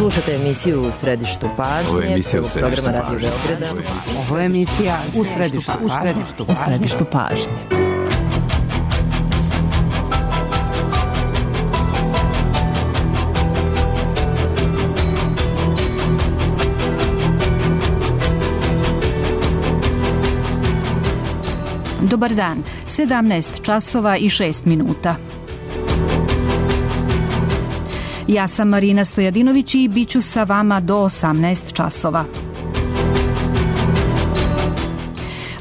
Slušate emisiju U središtu pažnje, programa Radio Beograda. Ovo je emisija U središtu pažnje. Dobar dan, 17 časova i 6 minuta. Ja sam Marina Stojadinović i bit ću sa vama do 18 časova.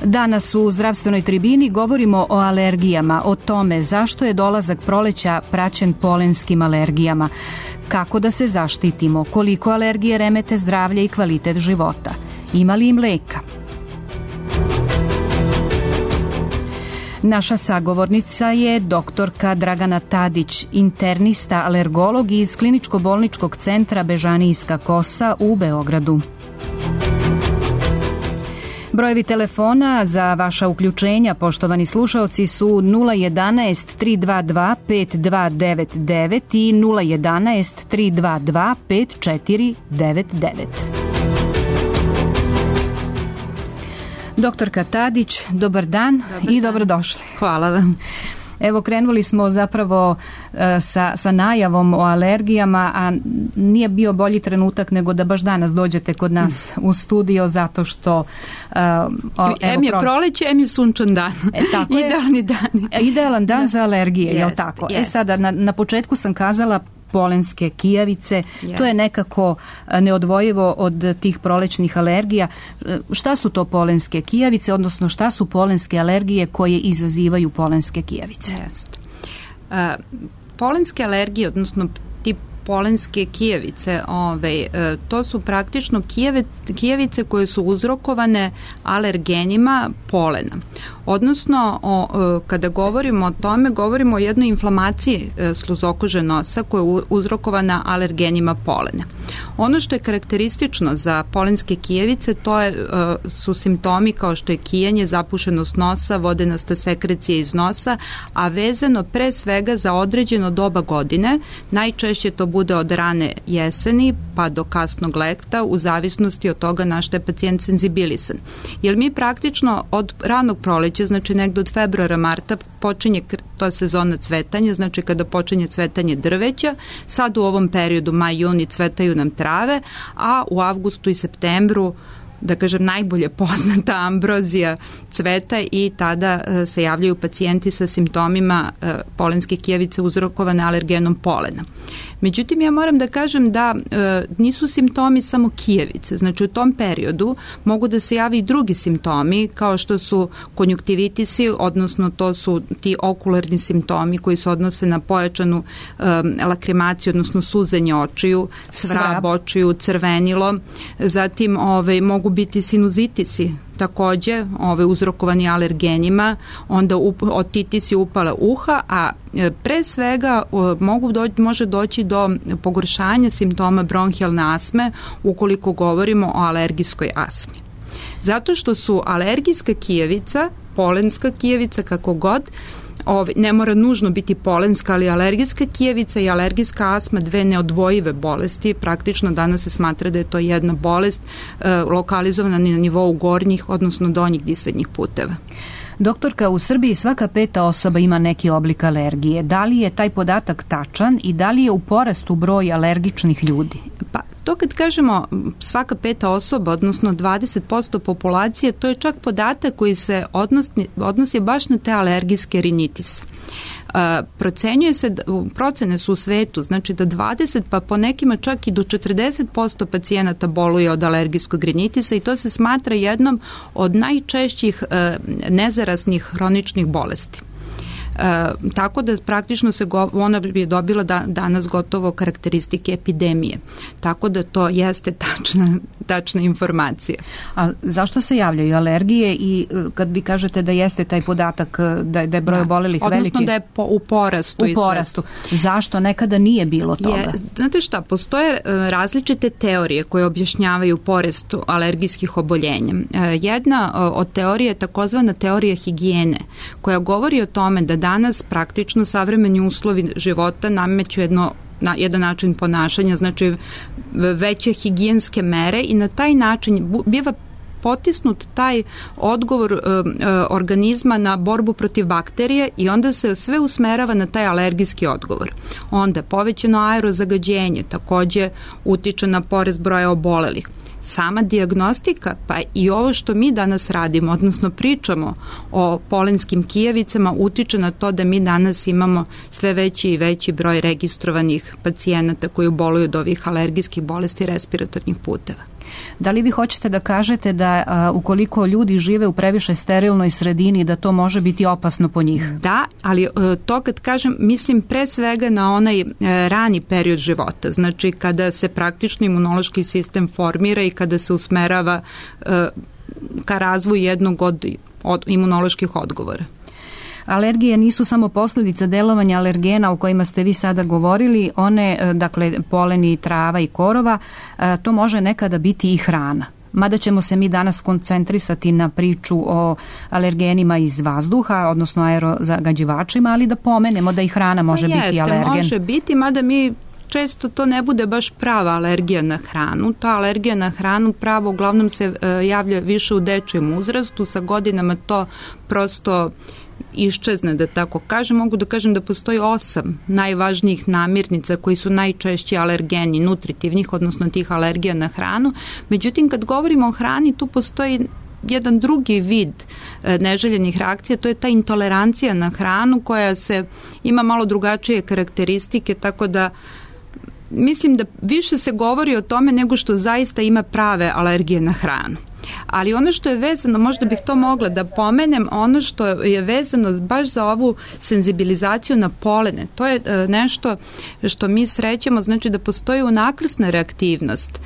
Danas u zdravstvenoj tribini govorimo o alergijama, o tome zašto je dolazak proleća praćen polenskim alergijama, kako da se zaštitimo, koliko alergije remete zdravlje i kvalitet života, ima li im leka. Naša sagovornica je doktorka Dragana Tadić, internista, alergolog iz Kliničko-bolničkog centra Bežanijska kosa u Beogradu. Brojevi telefona za vaša uključenja, poštovani slušaoci, su 011 322 5299 i 011 322 5499. Doktorka Tadić, dobar dan i dobrodošli. Hvala vam. Evo, krenuli smo zapravo sa najavom o alergijama, a nije bio bolji trenutak nego da baš danas dođete kod nas u studio, zato što... Em je proleće, em je sunčan dan. Idealni dan. Idealan dan za alergije, je li tako? Sada, na početku sam kazala polenske kijavice, to je nekako neodvojivo od tih prolećnih alergija. Šta su to polenske kijavice, odnosno šta su polenske alergije koje izazivaju polenske kijavice? Polenske alergije, odnosno tip polenske kijavice, to su praktično kijavice koje su uzrokovane alergenima polena. Odnosno, kada govorimo o tome, govorimo o jednoj inflamaciji sluzokože nosa koja je uzrokovana alergenima polena. Ono što je karakteristično za polenske kijavice, su simptomi kao što je kijanje, zapušenost nosa, vodenasta sekrecija iz nosa, a vezano pre svega za određeno doba godine. Najčešće to bude od rane jeseni pa do kasnog leta, u zavisnosti od toga na što je pacijent senzibilisan. Jer mi praktično od ranog proleća, znači negdje od februara, marta, počinje ta sezona cvetanja, znači kada počinje cvetanje drveća, sad u ovom periodu maj, juni cvetaju nam trave, a u avgustu i septembru, da kažem, najbolje poznata ambrozija cveta i tada se javljaju pacijenti sa simptomima polenske kijavice uzrokovane alergenom polena. Međutim, ja moram da kažem da nisu simptomi samo kijavice. Znači, u tom periodu mogu da se javi i drugi simptomi, kao što su konjuktivitisi, odnosno to su ti okularni simptomi koji se odnose na pojačanu lakrimaciju, odnosno suzenje očiju, svrab očiju, crvenilo. Zatim mogu biti sinuzitisi, takođe uzrokovani alergenima, onda otitisi, upala uha, a pre svega može doći do pogoršanja simptoma bronhijalne astme ukoliko govorimo o alergijskoj astmi. Zato što su alergijska kijavica, polenska kijavica, kako god, ne mora nužno biti polenska, ali alergijska kijavica i alergijska astma, dve neodvojive bolesti. Praktično danas se smatra da je to jedna bolest lokalizovana na nivou gornjih, odnosno donjih disadnjih puteva. Doktorka, u Srbiji svaka 5. osoba ima neki oblik alergije. Da li je taj podatak tačan i da li je u porastu broj alergičnih ljudi? Pa, to kad kažemo svaka 5. osoba, odnosno 20% populacije, to je čak podatak koji se odnosi baš na te alergijske rinitise. Procenjuje se, procene su u svetu, znači da 20 pa po nekima čak i do 40% pacijenata boluje od alergijskog rinitisa i to se smatra jednom od najčešćih nezarasnih hroničnih bolesti. Tako da praktično ona je dobila danas gotovo karakteristike epidemije. Tako da to jeste tačna informacija. A zašto se javljaju alergije i kad vi kažete da jeste taj podatak da je broj obolelih veliki? Odnosno da je u porastu. U porastu. Zašto? Nekada nije bilo toga. Znate šta, postoje različite teorije koje objašnjavaju porast alergijskih oboljenja. Jedna od teorija je takozvana teorija higijene, koja govori o tome da danas praktično savremeni uslovi života nameću jedno jedan način ponašanja, znači veće higijenske mere i na taj način biva potisnut taj odgovor organizma na borbu protiv bakterije i onda se sve usmerava na taj alergijski odgovor. Onda povećano aerozagađenje takođe utiče na porast broja obolelih. Sama dijagnostika, pa i ovo što mi danas radimo, odnosno pričamo o polenskim kijevicama, utiče na to da mi danas imamo sve veći i veći broj registrovanih pacijenata koji boluju od ovih alergijskih bolesti respiratornih puteva. Da li vi hoćete da kažete da ukoliko ljudi žive u previše sterilnoj sredini, da to može biti opasno po njih? Da, ali to kad kažem, mislim pre svega na onaj rani period života, znači kada se praktično imunološki sistem formira i kada se usmerava ka razvoju jednog od imunoloških odgovora. Alergije nisu samo posljedica delovanja alergena o kojima ste vi sada govorili, one, dakle, poleni, trava i korova, to može nekada biti i hrana. Mada ćemo se mi danas koncentrisati na priču o alergenima iz vazduha, odnosno aerozagađivačima, ali da pomenemo da i hrana može biti alergen. Može biti, mada mi često to ne bude baš prava alergija na hranu. Ta alergija na hranu pravo uglavnom se javlja više u dečijem uzrastu, sa godinama to prosto iščezne, da tako kažem. Mogu da kažem da postoji 8 najvažnijih namirnica koji su najčešći alergeni nutritivnih, odnosno tih alergija na hranu. Međutim, kad govorimo o hrani, tu postoji jedan drugi vid neželjenih reakcija, to je ta intolerancija na hranu koja ima malo drugačije karakteristike, tako da mislim da više se govori o tome nego što zaista ima prave alergije na hranu. Ali ono što je vezano, možda bih to mogla da pomenem, ono što je vezano baš za ovu senzibilizaciju na polene, to je nešto što mi srećemo, znači da postoji unakrsna reaktivnost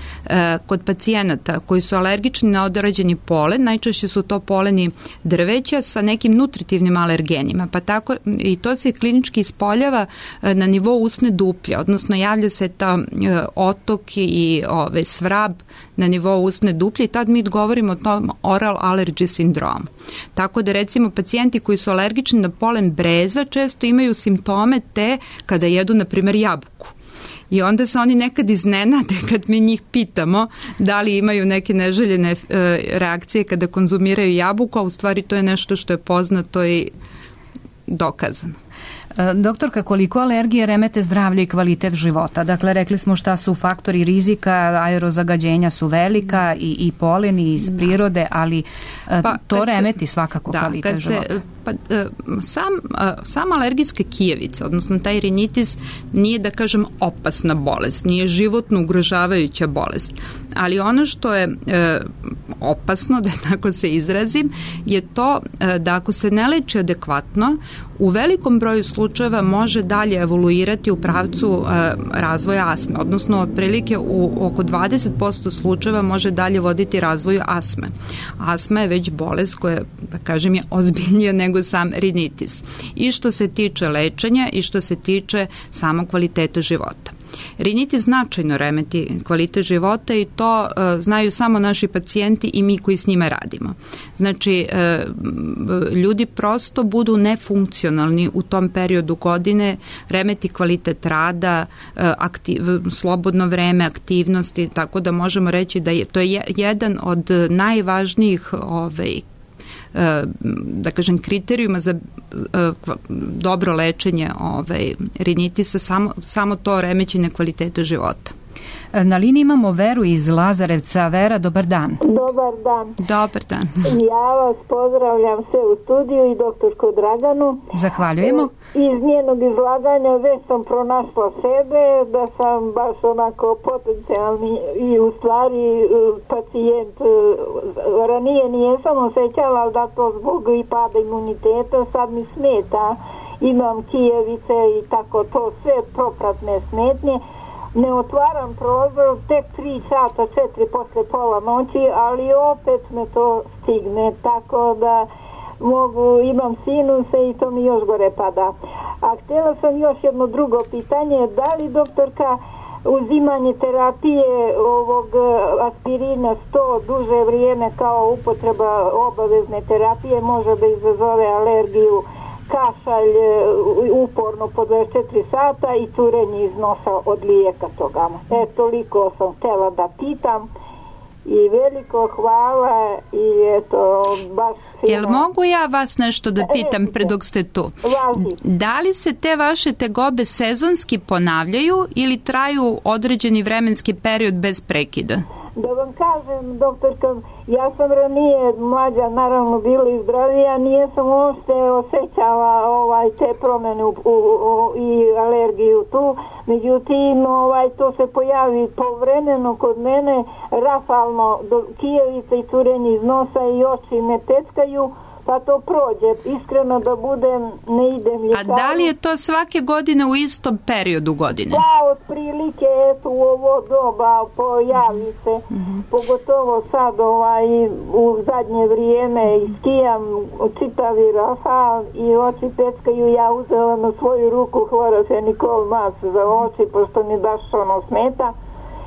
kod pacijenata koji su alergični na određeni polen, najčešće su to poleni drveća sa nekim nutritivnim alergenima, pa tako i to se klinički ispoljava na nivou usne duplje, odnosno javlja se ta otok i svrab na nivou usne duplje i tad mi govorimo o tom oral allergy sindromu. Tako da recimo pacijenti koji su alergični na polen breza često imaju simptome te kada jedu na primjer jabuku. I onda se oni nekad iznenade kad mi njih pitamo da li imaju neke neželjene reakcije kada konzumiraju jabuku, a u stvari to je nešto što je poznato i dokazano. Doktorka, koliko alergije remete zdravlje i kvalitet života? Dakle, rekli smo šta su faktori rizika, aerozagađenja su velika i poleni iz prirode, ali to remeti svakako kvalitet života. Sama alergijska kijevica, odnosno taj rinitis, nije, da kažem, opasna bolest, nije životno ugrožavajuća bolest, ali ono što je opasno, da tako se izrazim, je to da ako se ne leči adekvatno, u velikom broju slučajeva može dalje evoluirati u pravcu razvoja astme, odnosno otprilike u oko 20% slučajeva može dalje voditi razvoju astme. Astma je već bolest koja, da kažem, je ozbiljnija nego sam rinitis. I što se tiče lečenja i što se tiče samog kvaliteta života. Rinitis značajno remeti kvalitet života i to znaju samo naši pacijenti i mi koji s njima radimo. Znači, ljudi prosto budu nefunkcionalni u tom periodu godine, remeti kvalitet rada, slobodno vreme, aktivnosti, tako da možemo reći da to je jedan od najvažnijih da kažem kriterijuma za dobro lečenje rinitisa, samo to remećenje kvaliteta života. Na liniji imamo Veru iz Lazarevca. Vera, dobar dan. Dobar dan. Dobar dan. Ja vas pozdravljam sve u studiju i doktorku Draganu. Zahvaljujemo. Iz njenog izlaganja već sam pronašla sebe, da sam baš onako potencijalni i u stvari pacijent. Ranije nijesam osjećala, ali da to zbog i pada imuniteta sad mi smeta. Imam kijevice i tako to, sve propratne smetnje. Ne otvaram prozor, tek 3 sata, 4 posle pola noći, ali opet me to stigne, tako da imam sinuse i to mi još gore pada. A htjela sam još jedno drugo pitanje, da li doktorka uzimanje terapije ovog aspirina 100 duže vrijeme kao upotreba obavezne terapije može da izazove alergiju kašalj uporno po 24 sata i curenje iz nosa od lijeka toga. Toliko sam htjela da pitam i veliko hvala i eto baš fino. Jel mogu ja vas nešto da pitam pre dok ste tu? Da li se te vaše tegobe sezonski ponavljaju ili traju određeni vremenski period bez prekida? Da vam kažem, doktorka, ja sam ranije mlađa, naravno bila i zdravija, nije sam uopšte osjećala te promjene i alergiju tu, međutim to se pojavi povremeno kod mene, rafalno, kijevica i curenje iz nosa i oči me teckaju, pa to prođe. Iskreno da budem, ne idem ljekaru. A da li je to svake godine u istom periodu godine? Da, otprilike u ovo doba pojavi se, pogotovo sad u zadnje vrijeme skijam čitavi rafal i oči teckaju. Ja uzela na svoju ruku hlorofenikol mas za oči, pošto mi baš smeta.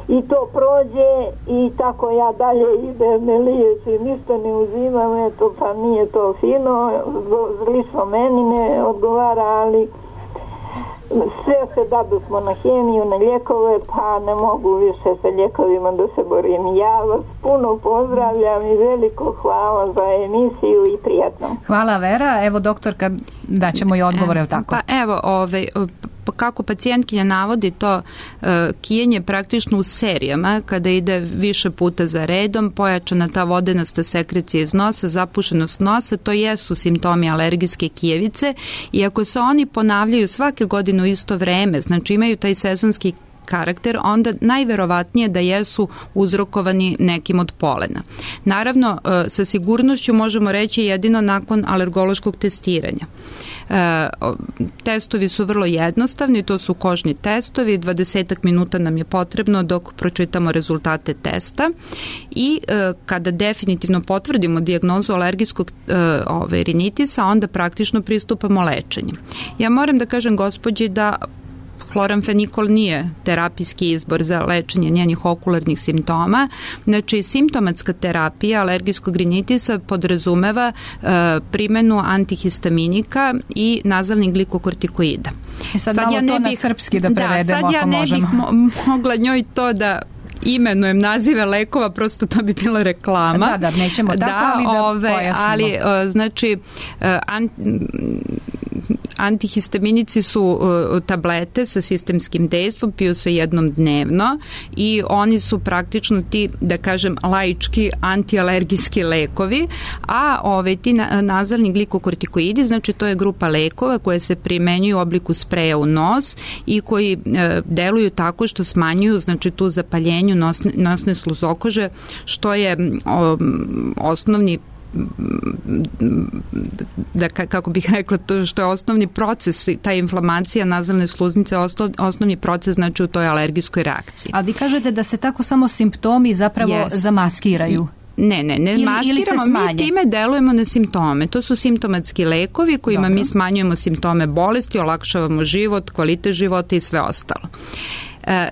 I to prođe i tako ja dalje idem, ne liječim, ništa ne uzimam, pa nije to fino, lično meni ne odgovara, ali sve se dadusmo na hemiju, na lijekove, pa ne mogu više sa lijekovima da se borim. Ja vas puno pozdravljam i veliko hvala za emisiju i prijatno. Hvala Vera, evo doktorka, daćemo i odgovore, tako. Pa evo, kako pacijentkinja navodi to kijenje praktično u serijama, kada ide više puta za redom, pojačana ta vodenasta sekrecija iz nosa, zapušenost nosa, to jesu simptomi alergijske kijevice i ako se oni ponavljaju svake godine u isto vreme, znači imaju taj sezonski karakter, onda najverovatnije da jesu uzrokovani nekim od polena. Naravno, sa sigurnošću možemo reći jedino nakon alergološkog testiranja. Testovi su vrlo jednostavni, to su kožni testovi, 20 minuta nam je potrebno dok pročitamo rezultate testa i kada definitivno potvrdimo dijagnozu alergijskog rinitisa, onda praktično pristupamo lečenju. Ja moram da kažem gospođi da hloramfenikol nije terapijski izbor za lečenje njenih okularnih simptoma. Znači, simptomatska terapija alergijskog rinitisa podrazumeva primenu antihistaminika i nazalnih glikokortikoida. Sad ja ne bih, na srpski da prevedemo, ako možemo. Sad ja ne bih mogla njoj to da imenujem nazive lekova, prosto to bi bila reklama. Da, nećemo tako, ali da pojasnimo. Ali, znači, antihistaminici su tablete sa sistemskim dejstvom, piju se jednom dnevno i oni su praktično ti, da kažem, laički antialergijski lekovi, a ti nazalni glikokortikoidi, znači to je grupa lekova koje se primenjuju u obliku spreja u nos i koji deluju tako što smanjuju, znači, tu zapaljenju nosne sluzokože, što je osnovni, da kako bih rekla, to što je osnovni proces, ta inflamacija nazalne sluznice, osnovni proces, znači, u toj alergijskoj reakciji. A vi kažete da se tako samo simptomi zapravo zamaskiraju? Ne maskiramo, mi time delujemo na simptome. To su simptomatski lekovi kojima mi smanjujemo simptome bolesti, olakšavamo život, kvalitet života i sve ostalo.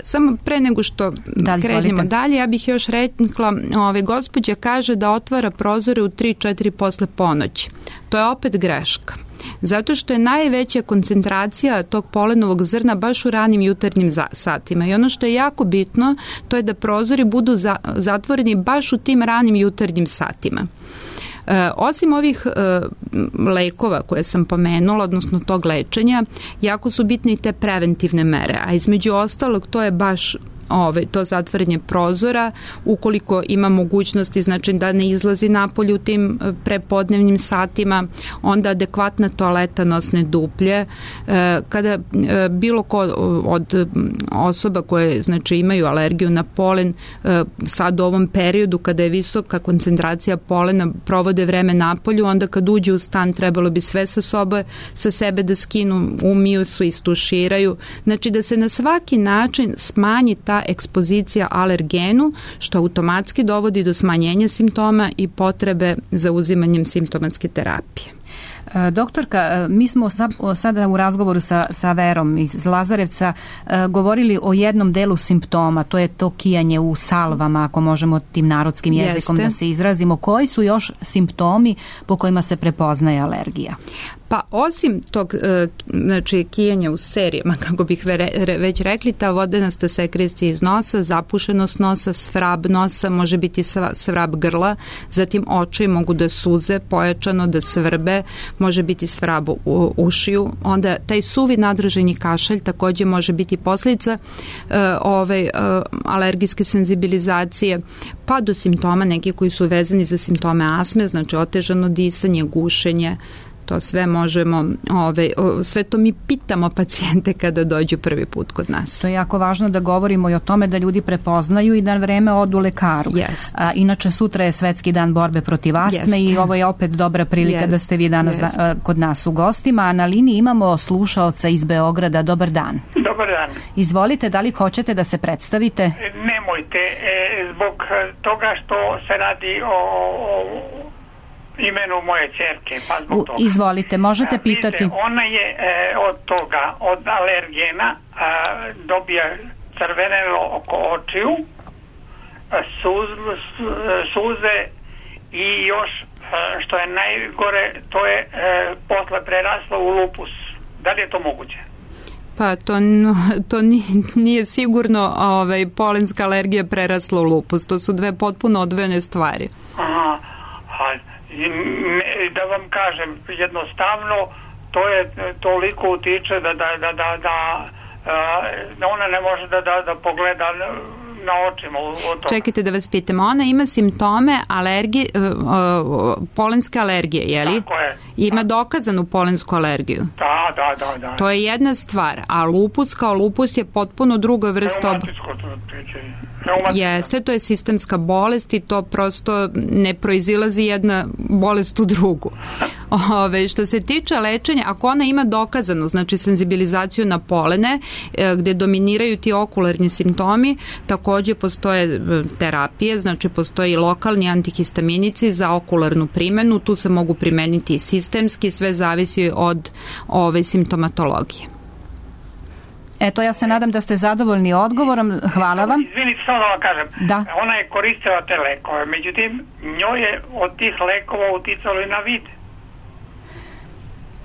Samo pre nego što krenemo dalje, ja bih još rekla, gospođa kaže da otvara prozore u 3-4 posle ponoći. To je opet greška. Zato što je najveća koncentracija tog polenovog zrna baš u ranim jutarnjim satima. I ono što je jako bitno, to je da prozori budu zatvoreni baš u tim ranim jutarnjim satima. Osim ovih lekova koje sam pomenula, odnosno tog lečenja, jako su bitne i te preventivne mere, a između ostalog to je baš to zatvaranje prozora, ukoliko ima mogućnosti, znači da ne izlazi napolje u tim prepodnevnim satima, onda adekvatna toaleta nosne duplje. Kada bilo ko od osoba koje, znači, imaju alergiju na polen, sad u ovom periodu kada je visoka koncentracija polena, provode vreme napolju, onda kad uđe u stan trebalo bi sve sa sebe da skinu, umiju se, istuširaju, znači da se na svaki način smanji ta ekspozicija alergenu, što automatski dovodi do smanjenja simptoma i potrebe za uzimanjem simptomatske terapije. Doktorka, mi smo sada u razgovoru sa Verom iz Lazarevca govorili o jednom delu simptoma, to je to kijanje u salvama, ako možemo tim narodskim jezikom da se izrazimo. Koji su još simptomi po kojima se prepoznaje alergija? Pa osim tog znači kijanja u serijama, kako bih već rekli, ta vodenasta sekrecija iz nosa, zapušenost nosa, svrab nosa, može biti svrab grla, zatim oči mogu da suze pojačano, da svrbe, može biti svrab u ušiju, onda taj suvi nadražajni kašalj takođe može biti posljedica alergijske senzibilizacije, pa do simptoma neki koji su vezani za simptome astme, znači otežano disanje, gušenje. To sve možemo, sve to mi pitamo pacijente kada dođu prvi put kod nas. To je jako važno da govorimo i o tome da ljudi prepoznaju i na vreme odu lekaru. Inače, sutra je Svetski dan borbe protiv astme i ovo je opet dobra prilika da ste vi danas kod nas u gostima. A na liniji imamo slušaoca iz Beograda. Dobar dan. Dobar dan. Izvolite, da li hoćete da se predstavite? Nemojte, zbog toga što se radi o imenu moje ćerke, pa zbog toga. Izvolite, možete pitati. Ona je od toga, od alergena, dobija crvenelo oko očiju, suze i još, što je najgore, to je posle preraslo u lupus. Da li je to moguće? Pa to nije sigurno polenska alergija prerasla u lupus. To su dve potpuno odvojene stvari. Aha. Da vam kažem, jednostavno to je toliko utiče da ona ne može da pogleda na očima. Čekajte da vas pitam, ona ima simptome polenske alergije, je li? Tako je. Ima dokazanu polensku alergiju? Da. To je jedna stvar, a lupus kao lupus je potpuno druga vrsta. Jeste, to je sistemska bolest i to prosto ne proizilazi jedna bolest u drugu. Što se tiče lečenja, ako ona ima dokazanu, znači senzibilizaciju na polene, gde dominiraju ti okularni simptomi, takođe postoje terapije, znači postoji lokalni antihistaminici za okularnu primenu, tu se mogu primeniti i sistemski, sve zavisi od simptomatologije. Eto, ja se nadam da ste zadovoljni odgovorom. Hvala vam. Izvinite, samo da vam kažem. Da. Ona je koristila te lekove, međutim, njoj je od tih lekova uticalo i na vid.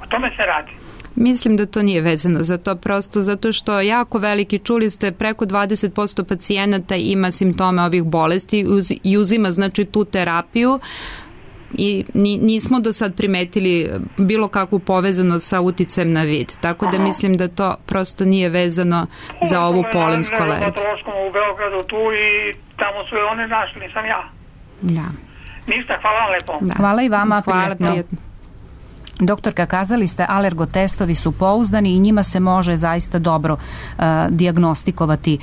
O tome se radi. Mislim da to nije vezano za to, prosto zato što jako veliki, čuli ste, preko 20% pacijenata ima simptome ovih bolesti i uzima znači tu terapiju i nismo do sad primetili bilo kakvu povezanost sa uticajem na vid. Tako da mislim da to prosto nije vezano za ovu polensku alergiju. U Beogradu tu i tamo su je one našli, nisam ja. Da. Ništa, hvala vam lepo. Da. Hvala i vama, hvala, prijatno. Doktorka, kazali ste, alergotestovi su pouzdani i njima se može zaista dobro dijagnostikovati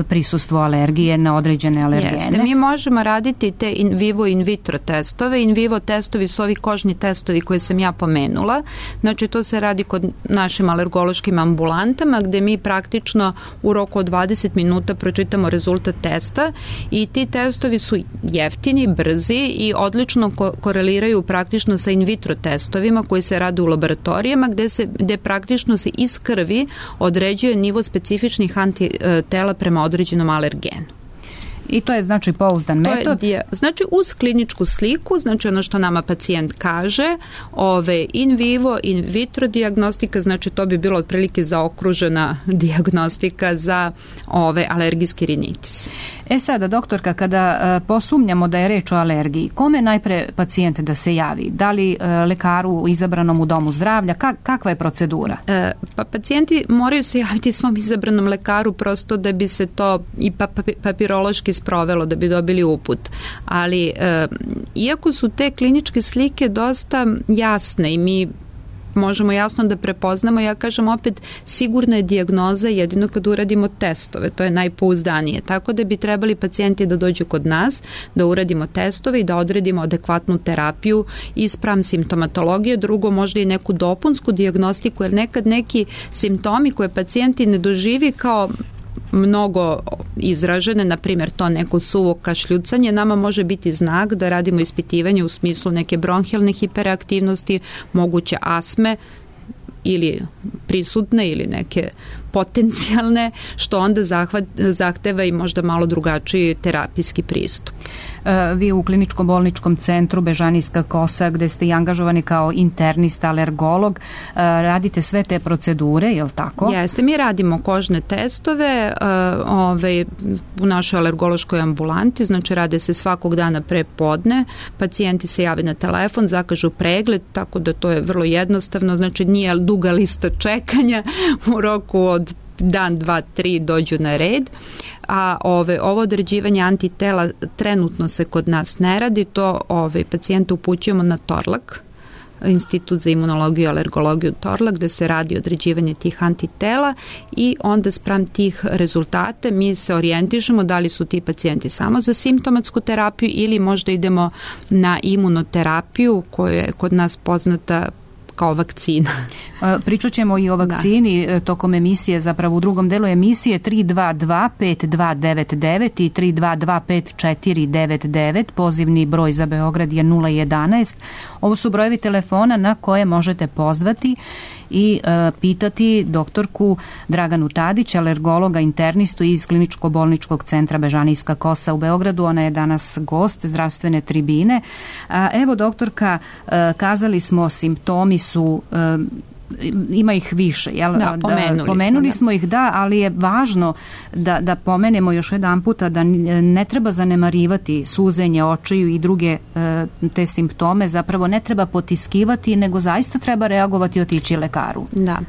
prisustvo alergije na određene alergene. Jeste, mi možemo raditi te in vivo i in vitro testove. In vivo testovi su ovi kožni testovi koje sam ja pomenula. Znači, to se radi kod našim alergološkim ambulantama gde mi praktično u roku od 20 minuta pročitamo rezultat testa i ti testovi su jeftini, brzi i odlično koreliraju praktično sa in vitro testovima koji se rade u laboratorijama gde praktično se iz krvi određuje nivo specifičnih antitela prema određenom alergenu. I to je znači pouzdan metod? Znači uz kliničku sliku, znači ono što nama pacijent kaže, in vivo, in vitro dijagnostika, znači to bi bilo otprilike zaokružena dijagnostika za alergijski rinitis. Sada, doktorka, kada posumnjamo da je reč o alergiji, kome najpre pacijent da se javi? Da li lekaru izabranom u domu zdravlja? Kakva je procedura? Pa pacijenti moraju se javiti svom izabranom lekaru prosto da bi se to i papirološki sprovelo, da bi dobili uput. Ali iako su te kliničke slike dosta jasne i mi možemo jasno da prepoznamo, ja kažem opet, sigurna je dijagnoza jedino kad uradimo testove, to je najpouzdanije. Tako da bi trebali pacijenti da dođu kod nas, da uradimo testove i da odredimo adekvatnu terapiju i spram simptomatologije, drugo možda i neku dopunsku dijagnostiku, jer nekad neki simptomi koje pacijenti ne doživi kao mnogo izražene, na primjer to neko suvo kašljucanje, nama može biti znak da radimo ispitivanje u smislu neke bronhijalne hiperaktivnosti, moguće astme, ili prisutne ili neke potencijalne, što onda zahteva i možda malo drugačiji terapijski pristup. Vi u kliničko-bolničkom centru Bežanijska kosa, gde ste i angažovani kao internista, alergolog, radite sve te procedure, je li tako? Jeste, mi radimo kožne testove u našoj alergološkoj ambulanti, znači rade se svakog dana pre podne, pacijenti se jave na telefon, zakažu pregled, tako da to je vrlo jednostavno, znači nije duga lista čekanja, u roku od dan, 2, 3 dođu na red, a ovo određivanje antitela trenutno se kod nas ne radi, to pacijenta upućujemo na Torlak, Institut za imunologiju i alergologiju Torlak, gde se radi određivanje tih antitela i onda spram tih rezultate mi se orijentišemo da li su ti pacijenti samo za simptomatsku terapiju ili možda idemo na imunoterapiju koja je kod nas poznata kao vakcina. Pričat ćemo i o vakcini tokom emisije, zapravo u drugom delu emisije 322-5299 i 322-5499, pozivni broj za Beograd je 011. Ovo su brojevi telefona na koje možete pozvati i pitati doktorku Draganu Tadić, alergologa, internistu iz kliničko-bolničkog centra Bežanijska kosa u Beogradu. Ona je danas gost zdravstvene tribine. Evo, doktorka, kazali smo, simptomi su ima ih više, jel? Da, pomenuli smo ih, da, ali je važno da pomenemo još jedan puta da ne treba zanemarivati suzenje očiju i druge te simptome, zapravo ne treba potiskivati, nego zaista treba reagovati i otići lekaru. Da.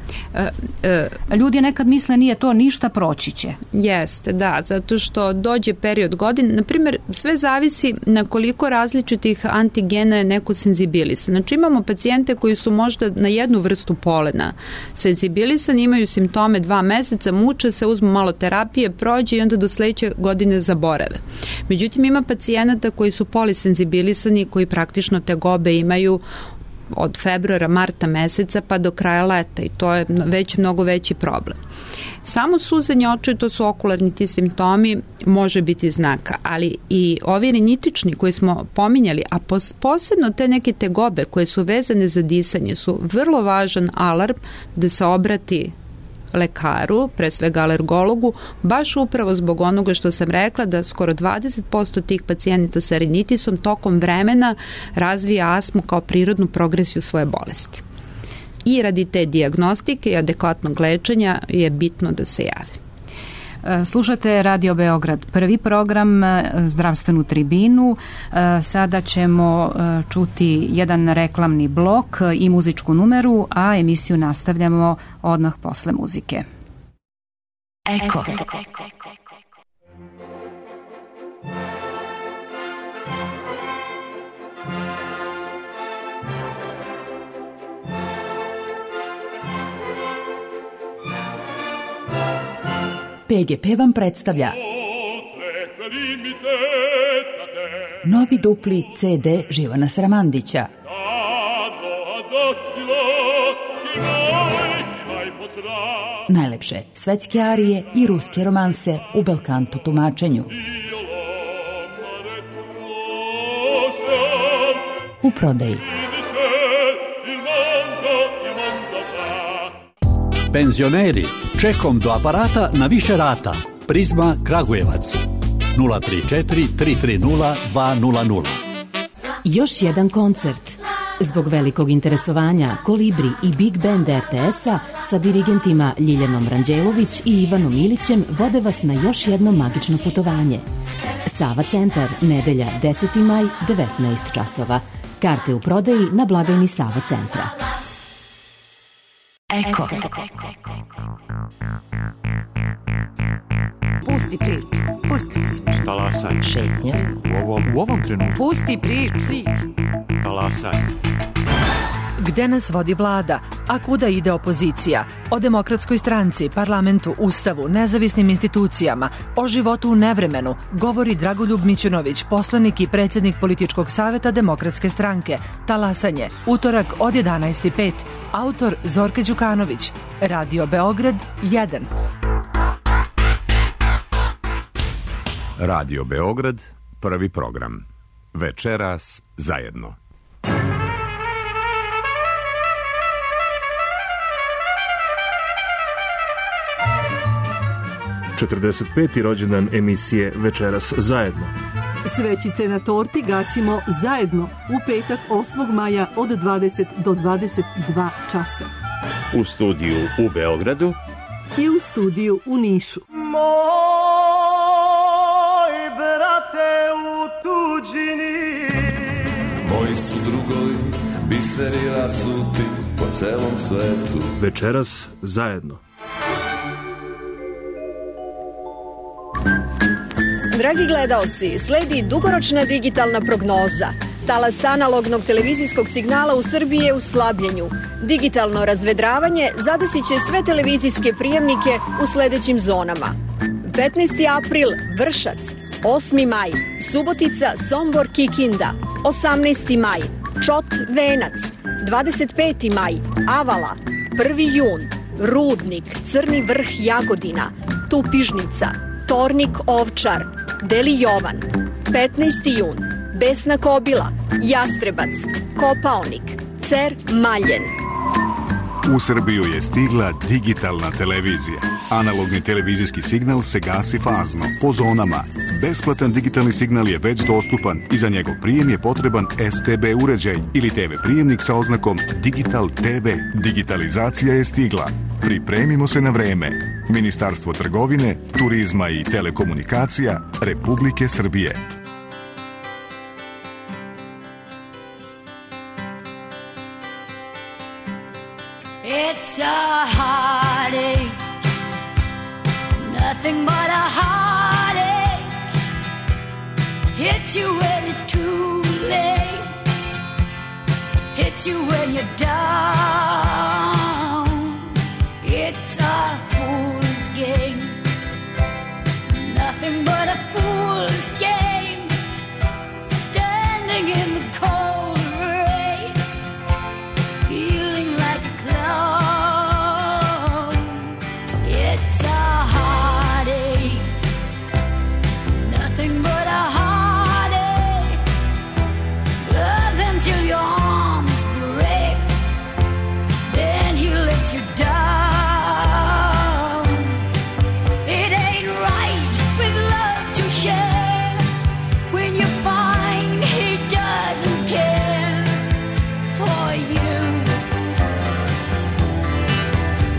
Ljudi nekad misle nije to ništa, proći će. Jeste, da, zato što dođe period godine, na primjer, sve zavisi na koliko različitih antigena je neko senzibilisan. Znači imamo pacijente koji su možda na jednu vrstu polena senzibilisani, imaju simptome 2 meseca, muče se, uzmu malo terapije, prođe i onda do sledeće godine zaborave. Međutim, ima pacijenata koji su polisenzibilisani, koji praktično tegobe imaju od februara, marta meseca pa do kraja leta i to je mnogo veći problem. Samo suzanje očiju, to su okularni ti simptomi, može biti znaka, ali i ovi rinitični koji smo pominjali, a posebno te neke tegobe koje su vezane za disanje su vrlo važan alarm da se obrati lekaru, pre svega alergologu, baš upravo zbog onoga što sam rekla da skoro 20% tih pacijenata sa rinitisom tokom vremena razvija astmu kao prirodnu progresiju svoje bolesti. I radi te dijagnostike i adekvatnog lečenja je bitno da se jave. Slušate Radio Beograd, prvi program, zdravstvenu tribinu. Sada ćemo čuti jedan reklamni blok i muzičku numeru, a emisiju nastavljamo odmah posle muzike. Eko. PGP vam predstavlja novi dupli CD Živana Sramandića. Najlepše svetske arije i ruske romanse u belkanto tumačenju. U prodaji. Penzioneri, čekom do aparata na više rata. Prizma Kragujevac 034 330 200. Još jedan koncert. Zbog velikog interesovanja Kolibri i Big Band RTS-a sa dirigentima Ljiljanom Ranđelović i Ivanom Ilićem vode vas na još jedno magično putovanje. Sava centar, nedelja 10. maj, 19 časova. Karte u prodaji na blagajni Sava centra. Eko. Pusti priču. Pusti priču. Talasaj. Šetnja. U ovom trenutku. Pusti priču. Talasaj. Gde nas vodi vlada, a kuda ide opozicija? O Demokratskoj stranci, parlamentu, ustavu, nezavisnim institucijama, o životu u nevremenu govori Dragoljub Mićunović, poslanik i predsjednik političkog saveta Demokratske stranke. Talasanje, utorak od 11:05. Autor Zorka Đukanović. Radio Beograd 1. Radio Beograd, prvi program. Večeras zajedno. 45. rođendan emisije Večeras zajedno. Svećice na torti gasimo zajedno u petak 8. maja od 20 do 22 časa. U studiju u Beogradu i u studiju u Nišu. Moj brate u tuđini, moji su drugovi, biseri rasuti po celom svetu. Večeras zajedno. Dragi gledaoci, sledi dugoročna digitalna prognoza. Talas analognog televizijskog signala u Srbiji je u slabljenju. Digitalno razvedravanje zadesit će sve televizijske prijemnike u sledećim zonama. 15. april Vršac, 8. maj Subotica, Sombor, Kikinda, 18. maj Čot, Venac, 25. maj Avala, 1. jun Rudnik, Crni vrh, Jagodina, Tupižnica, Tornik, Ovčar, Deli Jovan, 15. jun Besna Kobila, Jastrebac, Kopaonik, Cer, Maljen. U Srbiju je stigla digitalna televizija. Analogni televizijski signal se gasi fazno, po zonama. Besplatan digitalni signal je već dostupan i za njegov prijem je potreban STB uređaj ili TV prijemnik sa oznakom Digital TV. Digitalizacija je stigla. Pripremimo se na vreme. Ministarstvo trgovine, turizma i telekomunikacija Republike Srbije. It's a heartache, nothing but a heartache. Hits you when it's too late, hits you when you're down. It's a fool's game, nothing but a fool's game. Standing in the cold rain, feeling like a clown. It's a heartache, nothing but a heartache. Love until your arms break, then he lets you down. It ain't right with love to share when you find he doesn't care for you.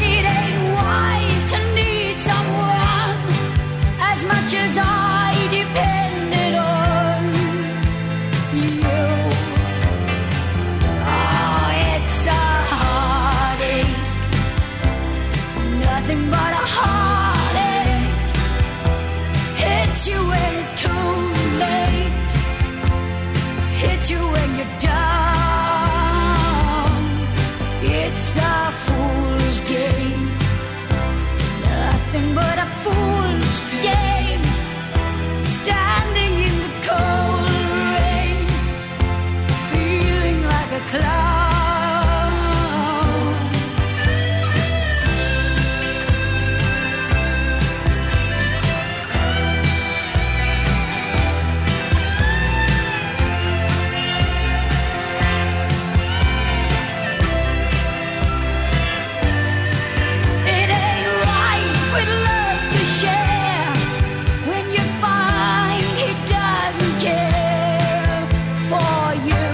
It ain't wise to need someone as much as I depended on you. Oh, it's a heartache, nothing but a heartache. Hits you when it's too late, hits you when you're down. It's a fool's game, nothing but a fool's game. Standing in the cold rain, feeling like a clown. It ain't right with love to share when you find he doesn't care for you.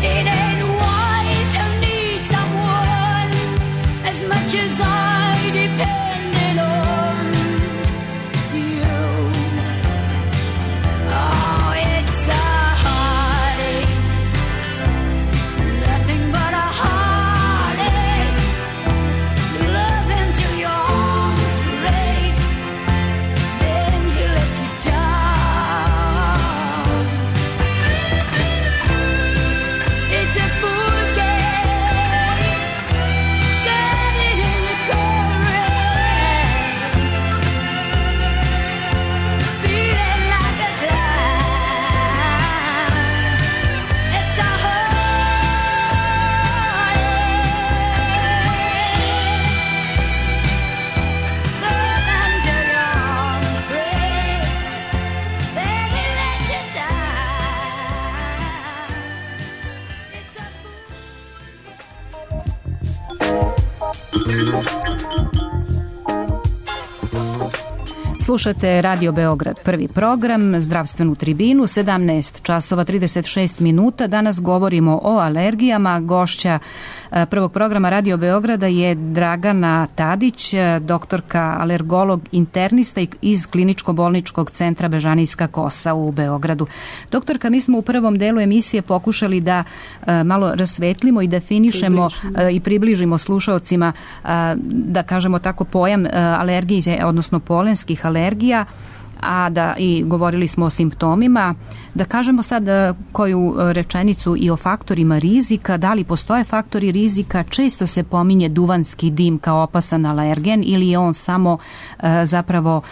It ain't wise to need someone as much as I depended on you. Oh, it's a heartache, nothing but a heartache. Love until your arms break, then he lets you down. It's a fool's game, standing in the cold rain, feeling like a clown. It's a heartache, love until your arms break, then he lets you down. It's a fool's game. Slušate Radio Beograd, prvi program, zdravstvenu tribinu, 17 časova 36 minuta. Danas govorimo o alergijama. Gošća prvog programa Radio Beograda je Dragana Tadić, doktorka alergolog internista iz Kliničko-bolničkog centra Bežanijska kosa u Beogradu. Doktorka, mi smo u prvom delu emisije pokušali da malo rasvetlimo i definišemo i približimo slušaocima, da kažemo tako, pojam alergije, odnosno polenskih alergija, a da i govorili smo o simptomima. Da kažemo sad koju rečenicu i o faktorima rizika. Da li postoje faktori rizika? Često se pominje duvanski dim kao opasan alergen ili je on samo zapravo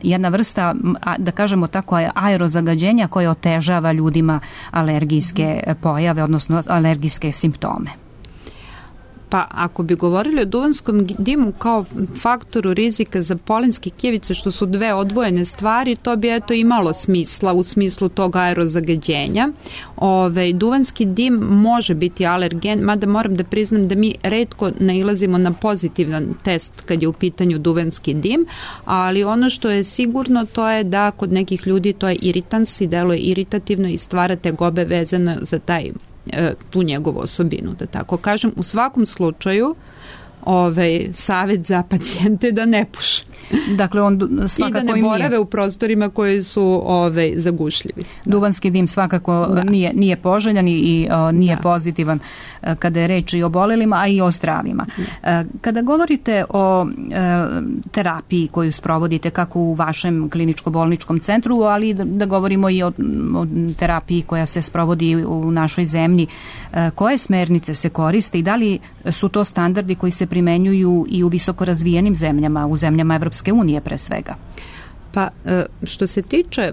jedna vrsta, da kažemo tako, aerozagađenja koje otežava ljudima alergijske pojave, odnosno alergijske simptome. Pa ako bi govorili o duvanskom dimu kao faktoru rizika za polenske kijevice, što su dve odvojene stvari, to bi eto imalo smisla u smislu tog aerozagađenja. Duvanski dim može biti alergen, mada moram da priznam da mi retko nailazimo na pozitivan test kad je u pitanju duvanski dim, ali ono što je sigurno to je da kod nekih ljudi to je iritans i deluje iritativno i stvara tegobe vezane za tu njegovu osobinu, da tako kažem. U svakom slučaju savjet za pacijente da ne puše. Dakle, on svakako i da ne borave u prostorima koji su zagušljivi. Duvanski dim svakako nije poželjan i nije pozitivan kada je reč i o bolelima, a i o zdravima. Kada govorite o terapiji koju sprovodite kako u vašem kliničko-bolničkom centru, ali da govorimo i o terapiji koja se sprovodi u našoj zemlji, koje smernice se koriste i da li su to standardi koji se primenjuju i u visoko razvijenim zemljama, u zemljama Evropske unije pre svega? Pa što se tiče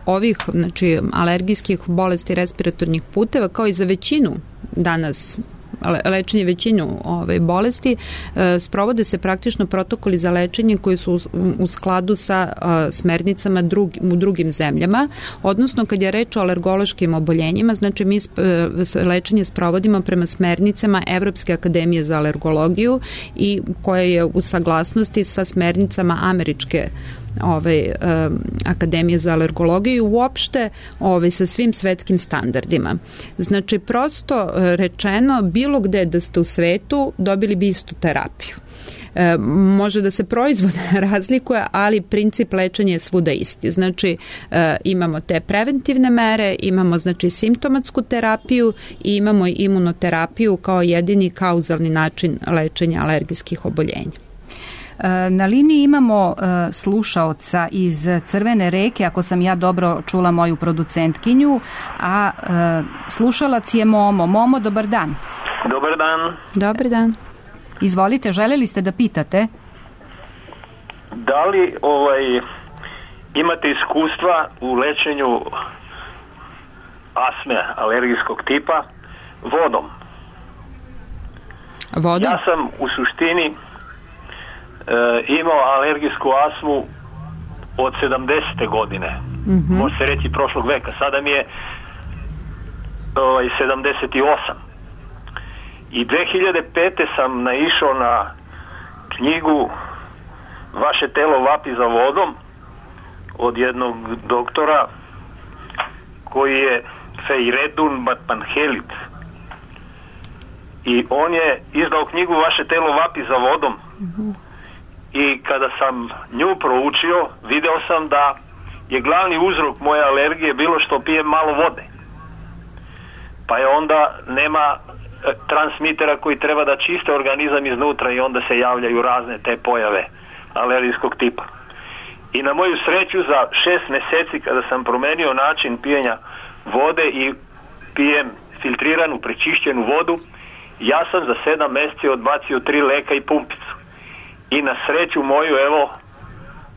ovih alergijskih bolesti respiratornih puteva, kao i za većinu danas lečenje većinu bolesti, sprovode se praktično protokoli za lečenje koji su u skladu sa smernicama u drugim zemljama, odnosno kad je reč o alergološkim oboljenjima, znači mi lečenje sprovodimo prema smernicama Evropske akademije za alergologiju i koja je u saglasnosti sa smernicama američke Akademije za alergologiju i uopšte sa svim svetskim standardima. Znači, prosto rečeno, bilo gde da ste u svetu, dobili bi istu terapiju. Može da se proizvod razlikuje, ali princip lečenja je svuda isti. Znači, imamo te preventivne mere, imamo simptomatsku terapiju i imamo i imunoterapiju kao jedini kauzalni način lečenja alergijskih oboljenja. Na liniji imamo slušaoca iz Crvene Reke, ako sam ja dobro čula moju producentkinju, a slušalac je Momo. Momo, dobar dan. Dobar dan. Dobar dan. Izvolite, želeli ste da pitate? Da li imate iskustva u lečenju astme alergijskog tipa vodom? Vodom? Ja sam u suštini imao alergijsku astmu od 70. godine. Može se reći prošlog veka. Sada mi je 78. I 2005. sam naišao na knjigu Vaše telo vapi za vodom od jednog doktora koji je Feyredun Batmanhelit. I on je izdao knjigu Vaše telo vapi za vodom. I kada sam nju proučio, video sam da je glavni uzrok moje alergije bilo što pijem malo vode. Pa je onda nema transmitera koji treba da čiste organizam iznutra i onda se javljaju razne te pojave alergijskog tipa. I na moju sreću za 6 meseci kada sam promenio način pijenja vode i pijem filtriranu, prečišćenu vodu, ja sam za 7 meseci odbacio 3 leka i pumpicu. I na sreću moju, evo,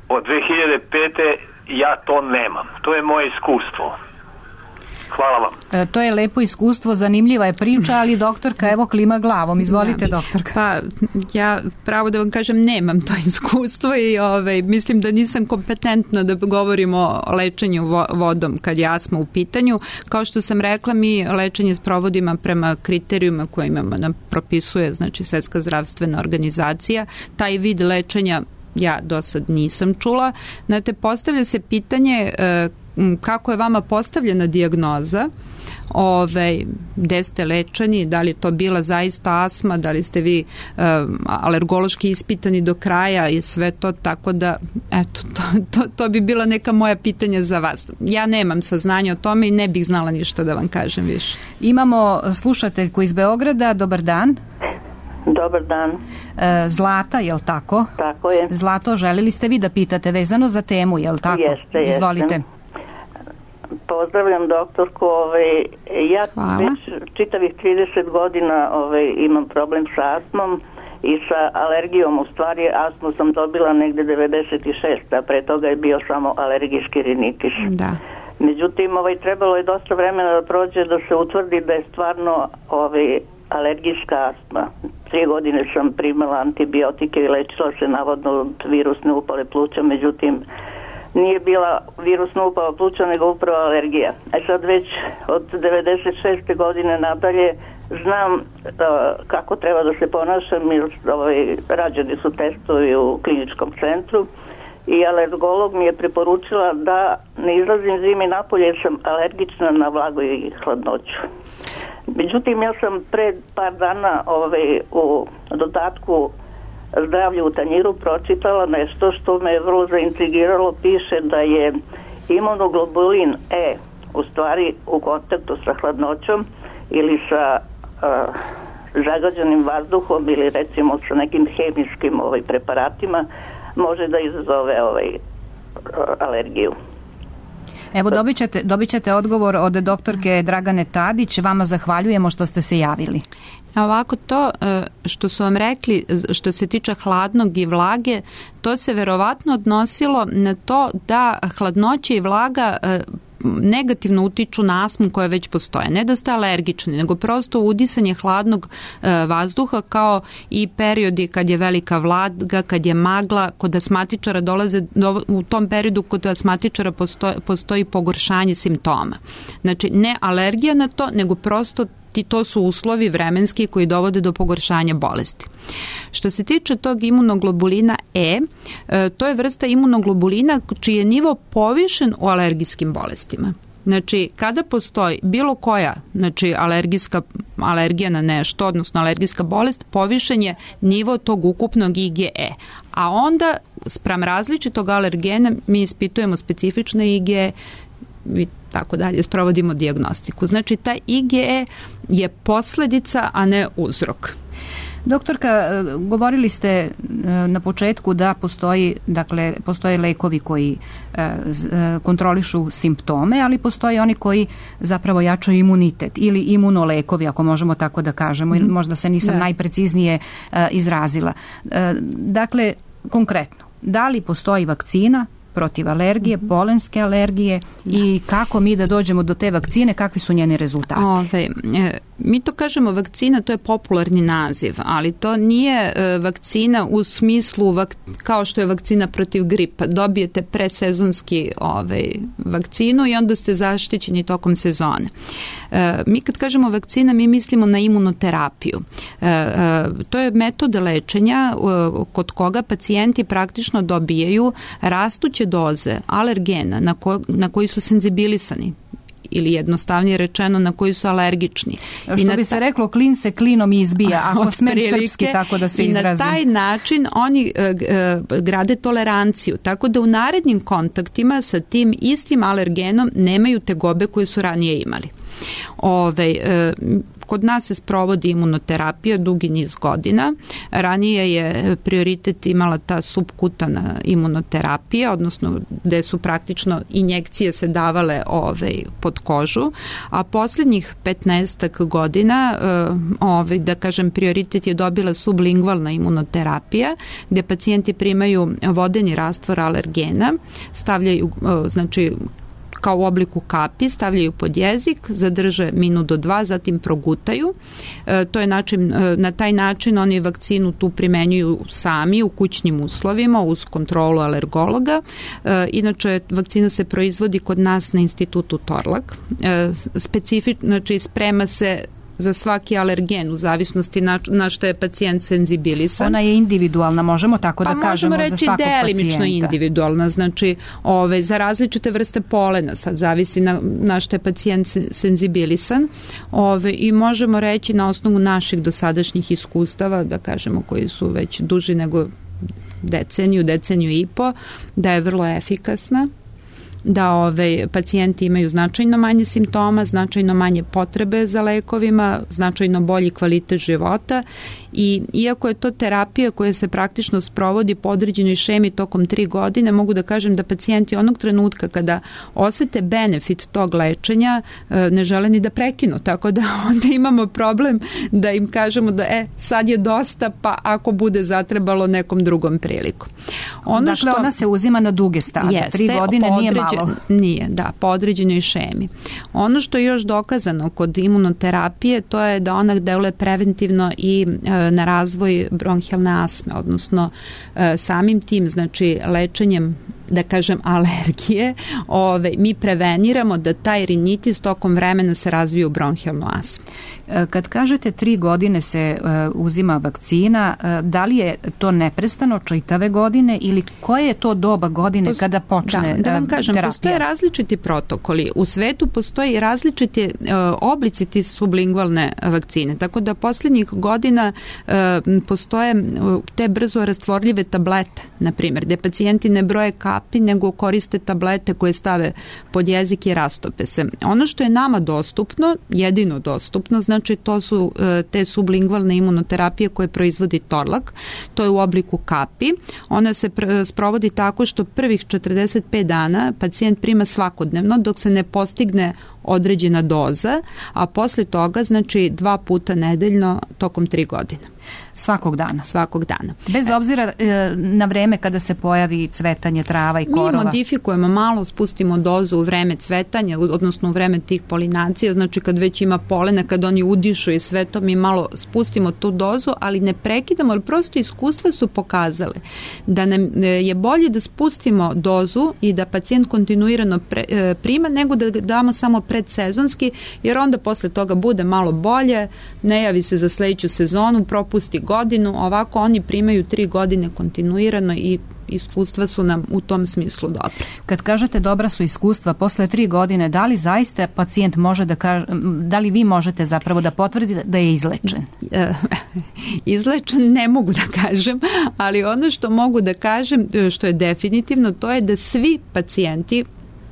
od 2005. ja to nemam. To je moje iskustvo. Hvala vam. To je lepo iskustvo, zanimljiva je priča, ali doktorka evo klima glavom. Izvolite, doktorka. Pa ja pravo da vam kažem nemam to iskustvo i mislim da nisam kompetentna da govorimo o lečenju vodom kad je astma u pitanju. Kao što sam rekla, mi lečenje sprovodimo prema kriterijuma koje nam propisuje, znači Svetska zdravstvena organizacija. Taj vid lečenja ja do sad nisam čula. Znate, postavlja se pitanje kako je vama postavljena dijagnoza, gde ste lečeni, da li to bila zaista astma, da li ste vi alergološki ispitani do kraja i sve to, tako da eto, to bi bila neka moja pitanja za vas. Ja nemam saznanja o tome i ne bih znala ništa da vam kažem više. Imamo slušateljku iz Beograda, dobar dan. Dobar dan. Zlata, jel tako? Tako je. Zlato, želili ste vi da pitate vezano za temu, jel tako? Jeste. Izvolite. Pozdravljam doktorku, ja već čitavih 30 godina imam problem sa astmom i sa alergijom. U stvari astmu sam dobila negde 96, a pre toga je bio samo alergijski rinitis. Da. Međutim, trebalo je dosta vremena da prođe da se utvrdi da je stvarno alergijska astma. 3 godine sam primala antibiotike i lečila se navodno od virusne upale pluća, međutim nije bila virusna upala pluća nego upravo alergija. Sad već od 96. godine nadalje znam kako treba da se ponašam, jer rađeni su testovi u kliničkom centru i alergolog mi je preporučila da ne izlazim zimi napolje jer sam alergična na vlagu i hladnoću. Međutim, ja sam pre par dana u dodatku Zdravlje u tanjiru pročitala nešto što me vrlo zaintrigiralo. Piše da je imunoglobulin E u stvari u kontaktu sa hladnoćom ili sa zagađenim vazduhom ili recimo sa nekim hemijskim preparatima može da izazove alergiju. Evo, dobit ćete odgovor od doktorke Dragane Tadić. Vama zahvaljujemo što ste se javili. Ovako, to što su vam rekli, što se tiče hladnog i vlage, to se verovatno odnosilo na to da hladnoća i vlaga negativno utiču na astmu koja već postoje. Ne da ste alergični, nego prosto udisanje hladnog vazduha kao i periodi kad je velika vlaga, kad je magla, kod astmatičara dolaze, u tom periodu kod astmatičara postoji pogoršanje simptoma. Znači, ne alergija na to, nego prosto to su uslovi vremenski koji dovode do pogoršanja bolesti. Što se tiče tog imunoglobulina E, to je vrsta imunoglobulina čiji je nivo povišen u alergijskim bolestima. Znači, kada postoji bilo koja, znači alergija na nešto, odnosno alergijska bolest, povišen je nivo tog ukupnog IgE. A onda, spram različitog alergena, mi ispitujemo specifične IgE i tako dalje, sprovodimo dijagnostiku. Znači, taj IgE je posledica, a ne uzrok. Doktorka, govorili ste na početku da postoje lekovi koji kontrolišu simptome, ali postoje oni koji zapravo jačaju imunitet ili imunolekovi, ako možemo tako da kažemo, ili možda se nisam najpreciznije izrazila. Dakle, konkretno, da li postoji vakcina protiv alergije, polenske alergije i kako mi da dođemo do te vakcine, kakvi su njeni rezultati? Mi to kažemo vakcina, to je popularni naziv, ali to nije vakcina u smislu kao što je vakcina protiv gripa. Dobijete predsezonski vakcinu i onda ste zaštićeni tokom sezone. Mi kad kažemo vakcina, mi mislimo na imunoterapiju. To je metod lečenja kod koga pacijenti praktično dobijaju rastuće doze alergena na koji su senzibilisani ili jednostavnije rečeno na koji su alergični. Što bi se reklo, klin se klinom izbija, ako smem srpski tako da se izrazim. I na taj način oni grade toleranciju, tako da u narednim kontaktima sa tim istim alergenom nemaju tegobe koje su ranije imali. Kod nas se sprovodi imunoterapija dugi niz godina. Ranije je prioritet imala ta subkutana imunoterapija, odnosno gde su praktično injekcije se davale pod kožu, a posljednjih 15 godina, da kažem, prioritet je dobila sublingvalna imunoterapija, gde pacijenti primaju vodeni rastvor alergena, stavljaju, znači, kao u obliku kapi, stavljaju pod jezik, zadrže minut do 2, zatim progutaju. To je način, na taj način oni vakcinu tu primenjuju sami u kućnim uslovima uz kontrolu alergologa. Inače, vakcina se proizvodi kod nas na institutu Torlak. Znači, sprema se za svaki alergen u zavisnosti na što je pacijent senzibilisan. Ona je individualna, možemo tako da kažemo, za svakog pacijenta. Možemo reći delimično individualna, znači za različite vrste polena, sad zavisi na što je pacijent senzibilisan, i možemo reći na osnovu naših dosadašnjih iskustava, da kažemo koji su već duži nego deceniju i po, da je vrlo efikasna, da pacijenti imaju značajno manje simptoma, značajno manje potrebe za lekovima, značajno bolji kvalitet života i iako je to terapija koja se praktično sprovodi po određenoj šemi tokom 3 godine, mogu da kažem da pacijenti onog trenutka kada osete benefit tog lečenja ne žele ni da prekinu, tako da onda imamo problem da im kažemo da sad je dosta, pa ako bude zatrebalo nekom drugom priliku. Dakle, ona se uzima na duge staze, 3 godine nije malo. Nije, da, po određenoj šemi. Ono što je još dokazano kod imunoterapije, to je da ona deluje preventivno i na razvoj bronhijalne astme, odnosno samim tim, znači lečenjem, da kažem, alergije, mi preveniramo da taj rinitis tokom vremena se razvije u bronhijalnu astmu. Kad kažete 3 godine se uzima vakcina, da li je to neprestano čitave godine ili koje je to doba godine kada počne terapija? Da vam kažem, postoje različiti protokoli. U svetu postoji različiti oblici ti sublingualne vakcine, tako da posljednjih godina postoje te brzo rastvorljive tablete, na primjer, gde pacijenti ne broje kapi, nego koriste tablete koje stave pod jezik i rastope se. Ono što je nama dostupno, jedino dostupno, znači to su te sublingualne imunoterapije koje proizvodi Torlak. To je u obliku kapi. Ona se sprovodi tako što prvih 45 dana pacijent prima svakodnevno dok se ne postigne određena doza, a posle toga znači 2 puta nedeljno tokom 3 godine. Svakog dana? Svakog dana. Bez obzira na vreme kada se pojavi cvetanje trava i korova? Mi modifikujemo malo, spustimo dozu u vreme cvetanja, odnosno u vreme tih polinacija, znači kad već ima polena, kad oni udišu i sve to, mi malo spustimo tu dozu, ali ne prekidamo, jer prosto iskustva su pokazale da nam je bolje da spustimo dozu i da pacijent kontinuirano prima, nego da damo samo predsezonski, jer onda posle toga bude malo bolje, ne javi se za sledeću sezonu, propusti godinu, ovako oni primaju 3 godine kontinuirano i iskustva su nam u tom smislu dobra. Kad kažete dobra su iskustva, posle 3 godine, da li zaista pacijent može da kaže, da li vi možete zapravo da potvrdite da je izlečen? Izlečen ne mogu da kažem, ali ono što mogu da kažem, što je definitivno, to je da svi pacijenti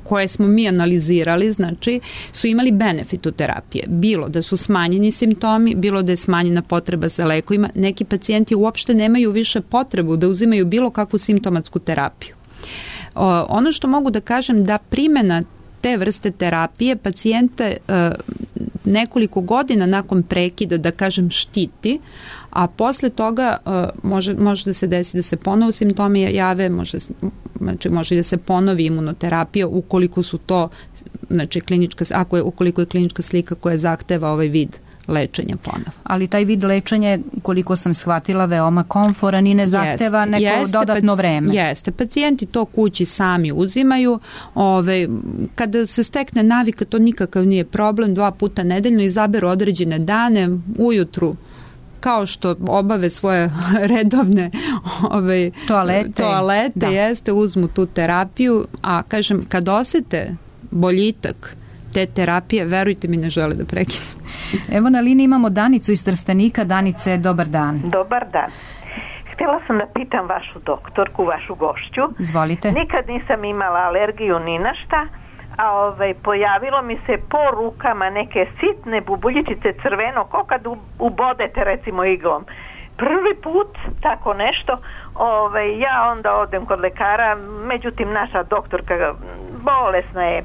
koje smo mi analizirali, znači, su imali benefit u terapije. Bilo da su smanjeni simptomi, bilo da je smanjena potreba za lekovima. Neki pacijenti uopšte nemaju više potrebu da uzimaju bilo kakvu simptomatsku terapiju. Ono što mogu da kažem da primjena te vrste terapije pacijente nekoliko godina nakon prekida, da kažem, štiti, a posle toga može da se desi da se ponovo simptomi jave, može da se ponovi imunoterapija ukoliko su to, znači ukoliko je klinička slika koja zahteva ovaj vid lečenja ponovo. Ali taj vid lečenja, koliko sam shvatila, veoma komforan i ne zahteva neko dodatno vreme. Jeste, pacijenti to kući sami uzimaju. Kada se stekne navika, to nikakav nije problem, 2 puta nedeljno izaberu određene dane, ujutru, kao što obave svoje redovne toalete jeste, uzmu tu terapiju, a kažem, kad osete boljitak te terapije, verujte mi, ne žele da prekinu. Evo na liniji imamo Danicu iz Trstenika. Danice, dobar dan. Dobar dan. Htjela sam da pitam vašu doktorku, vašu gošću. Izvolite. Nikad nisam imala alergiju ni na šta, a pojavilo mi se po rukama neke sitne bubuljičice crveno, kao kad ubodete recimo iglom. Prvi put tako nešto, ja onda odem kod lekara, međutim naša doktorka bolesna je.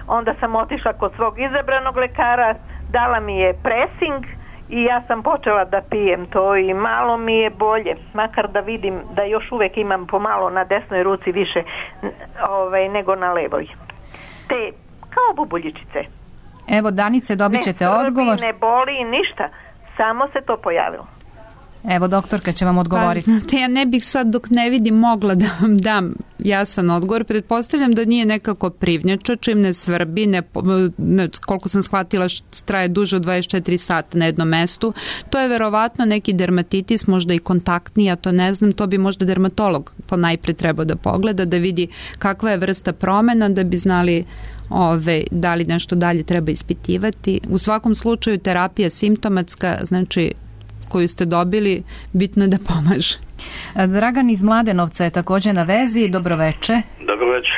Onda sam otišla kod svog izabranog lekara, dala mi je pressing i ja sam počela da pijem to i malo mi je bolje, makar da vidim da još uvijek imam pomalo na desnoj ruci više nego na levoj. Te kao bubuljičice. Evo, Danice, dobit ćete odgovor. Ne boli ništa, samo se to pojavilo. Evo, doktorka će vam odgovoriti. Pa, znate, ja ne bih sad dok ne vidim mogla da vam dam jasan odgovor. Pretpostavljam da nije nekako privnjača, čim ne svrbi, koliko sam shvatila, traje duže od 24 sata na jednom mestu. To je verovatno neki dermatitis, možda i kontaktni, ja to ne znam, to bi možda dermatolog ponajpre trebao da pogleda, da vidi kakva je vrsta promena, da bi znali da li nešto dalje treba ispitivati. U svakom slučaju terapija simptomatska, znači koju ste dobili, bitno je da pomaže. Dragan iz Mladenovca je također na vezi. Dobroveče. Dobroveče.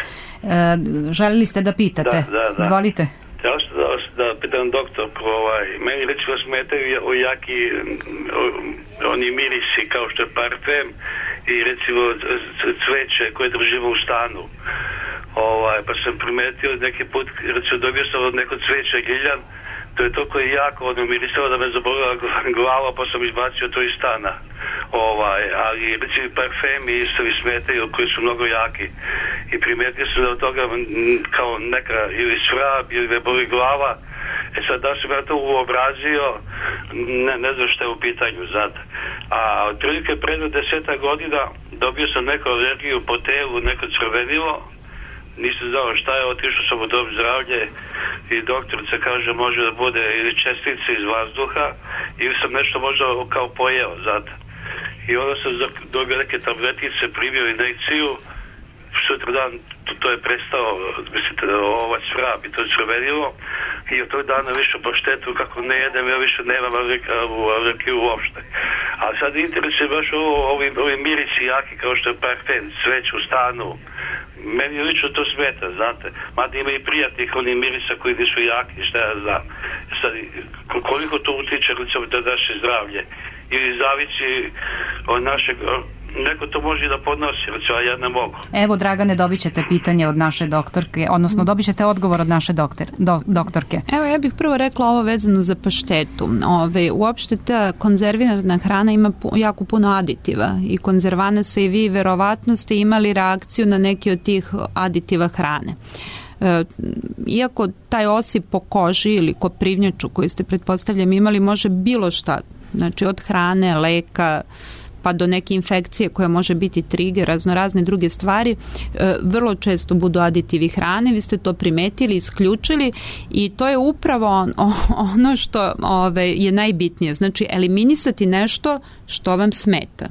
Želili ste da pitate? Da. Izvolite. Ja da pitam doktorku, meni recimo smetaju jaki oni mirisi kao što je parfem i recimo cveće koje držimo u stanu. Pa sam primetio neki put, recimo dobio sam od neko cveća giljan, to je toliko jako mirisalo da me zabolila glava, pa sam izbacio to iz stana. Ali recimo parfemi isto mi smetaju koji su mnogo jaki. I primetio sam da od toga kao neka ili svrab ili me boli glava. Sad da sam ja to uobrazio, ne znam što je u pitanju, znate. A otprilike pred 10 godina dobio sam neku alergiju po telu, neko crvenilo. Nisam znao šta je, otišao sam u dom zdravlje i doktorica kaže može da bude ili čestice iz vazduha ili sam nešto možda kao pojeo zato. I onda sam dobio neke tabletice, primio injekciju, sutra dan to je prestao, mislite, svrab i to je crvenilo i od tog dana više po štetu kako ne jedem, ja više nemam alergiju uopšte. A sad interesuje baš ovi mirisi jaki kao što je parfem, sveć u stanu. Meni lično to smeta, znate. Mada ima i prijatnih onih mirisa koji nisu jaki, šta ja znam. Sad, koliko to utiče recimo da naše zdravlje ili zavisi od našeg, neko to može da podnosi, recimo, a ja ne mogu. Evo, Dragane, dobit ćete pitanje od naše doktorke, odnosno dobit ćete odgovor od naše doktorke. Evo, ja bih prvo rekla ovo vezano za paštetu. Uopšte ta konzervirana hrana ima jako puno aditiva i konzervana se i vi verovatno ste imali reakciju na neki od tih aditiva hrane. Iako taj osip po koži ili koprivnjaču koju ste pretpostavljam imali može bilo šta, znači od hrane, leka, pa do neke infekcije koja može biti trigger, razne druge stvari, vrlo često budu aditivi hrane, vi ste to primetili, isključili i to je upravo ono što je najbitnije, znači eliminisati nešto što vam smeta.